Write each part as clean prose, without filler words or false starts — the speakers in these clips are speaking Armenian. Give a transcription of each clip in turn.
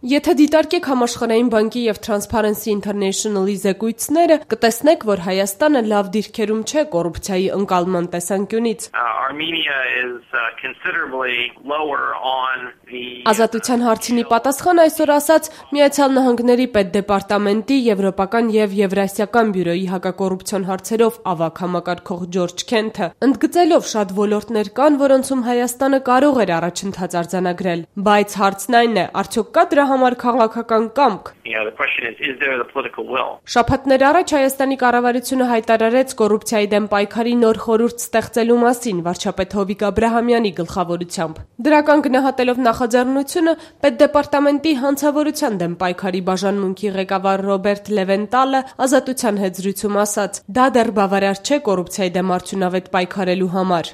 Եթե դիտարկեք Համաշխարհային բանկի եւ Transparency International-ի զեկույցները, կտեսնեք, որ Հայաստանը լավ դիրքերում չէ կոռուպցիայի ընկալման տեսանկյունից։ Ազատության հարցինի պատասխան այսօր ասաց Միացյալ Նահանգների պետդեպարտամենտի եվրոպական եւ եվրասիական բյուրոյի հակակոռուպցիոն հարցերով ավագ համակարգող Ջորջ Քենթը, ընդգծելով շատ ոլորտներ կան, որոնցում Հայաստանը կարող էր առաջընթաց արձանագրել, բայց հարցն այն է, արդյոք կա դրա համար քաղաքական կամք։ Շաբաթներ առաջ Հայաստանի կառավարությունը հայտարարեց կոռուպցիայի դեմ պայքարի նոր խորհուրդ ստեղծելու մասին վարչապետ Հովիկ Աբրահամյանի գլխավորությամբ։ Դրական գնահատելով նախաձեռնությունը, պետդեպարտամենտի հանցավորության դեմ պայքարի բաժանմունքի ղեկավար Ռոբերտ Լևենտալը Ազատության հետ զրույցում ասաց. դա դեռ բավարար չէ կոռուպցիայի դեմ արդյունավետ պայքարելու համար։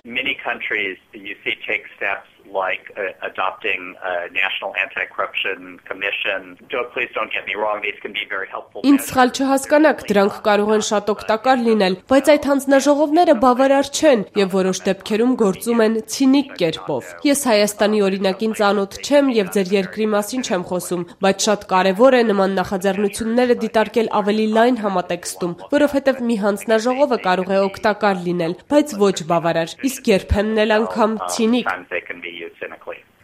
Like adopting a national anti-corruption commission. Please don't get me wrong, these can be very helpful. Ինձ սխալ չհասկանաք, դրանք կարող են շատ օգտակար լինել, բայց այդ հանձնաժողովները բավարար չեն եւ որոշ դեպքերում գործում են ցինիկ կերպով։ Ես Հայաստանի օրինակին ծանոթ չեմ եւ ձեր երկրի մասին չեմ խոսում, բայց շատ կարեւոր է նման նախաձեռնությունները դիտարկել ավելի լայն համատեքստում, որովհետեւ մի հանձնաժողովը կարող է օգտակար լինել, բայց ոչ բավարար, իսկ երբեմն էլ անգամ ցինիկ։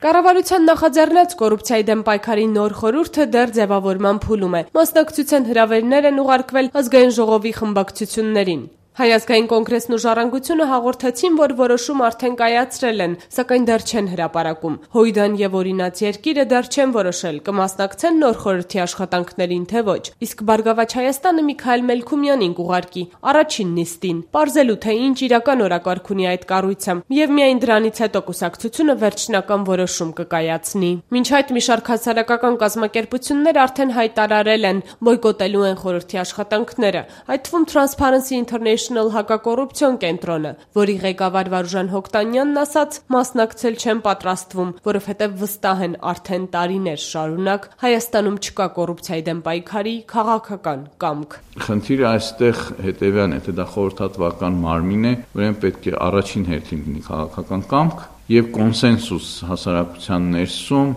Կառավարության նախաձեռնած կոռուպցիայի դեմ պայքարի նոր խորհուրդը դեռ ձևավորման փուլում է։ Մասնակցության հրավերներ են ուղարկվել ազգային ժողովի խմբակցություններին։ Հայազգային կոնգրեսն ու Ժառանգությունը հաղորդեցին, որ որոշում արդեն կայացրել են, սակայն դեռ չեն հրապարակում։ Հույդան եւ Օրինաց երկիրը դեռ չեն որոշել կմասնակցեն նոր խորհրդի աշխատանքներին, թե ոչ։ Իսկ Բարգավաճ Հայաստանը Միքայել Մելքումյանին կուղարկի առաջին նիստին, պարզելու թե ինչ իրական օրակարգ ունի այդ կառույցը, եւ միայն դրանից հետո կուսակցությունը վերջնական որոշում կկայացնի։ Մինչ այդ մի շարք հասարակական կազմակերպություններ արդեն հայտարարել են բոյկոտելու են խորհրդի աշխատանքները, այդ թվում Transparency International հակակոռուպցիոն կենտրոնը, որի ղեկավար Վարուժան Հոկտանյանն ասաց, մասնակցել չեն պատրաստվում, որովհետև վստահ են արդեն տարիներ շարունակ Հայաստանում չկա կոռուպցիայի դեմ պայքարի քաղաքական կամք։ Խնդիրը այստեղ հետևյալն է, թե դա խորհրդատվական մարմին է, ուրեմն պետք է առաջին հերթին լինի քաղաքական կամք եւ կոնսենսուս հասարակության ներսում,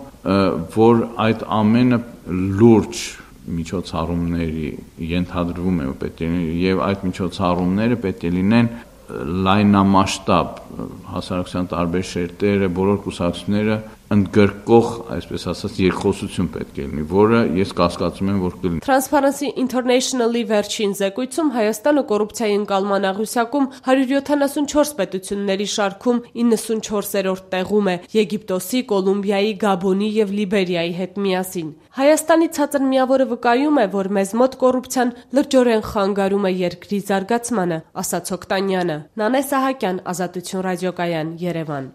որ այդ ամենը լուրջ միջոցառումների ենթադրվում է պետք է եւ այդ միջոցառումները պետք է լինեն լայնամասշտաբ հասարակության տարբեր շերտերը, բոլոր կուսակցությունները ընդգրկող, այսպես ասած, երկխոսություն պետք է լինի, որը ես կասկածում եմ, որ կլինի։ Transparency International-ի վերջին զեկույցում Հայաստանը կոռուպցիայի ընկալման աղյուսակում 174 պետությունների շարքում 94-րդ տեղում է Եգիպտոսի, Կոլումբիայի, Գաբոնի եւ Լիբերիայի հետ միասին։ Հայաստանի ցածր միավորը վկայում է, որ մեզ մոտ կոռուպցիան լրջորեն խանգարում է երկրի զարգացմանը, ասաց Հոկտանյանը։ Նանե Սահակյան, Ազատություն ռադիոկայան, Երևան։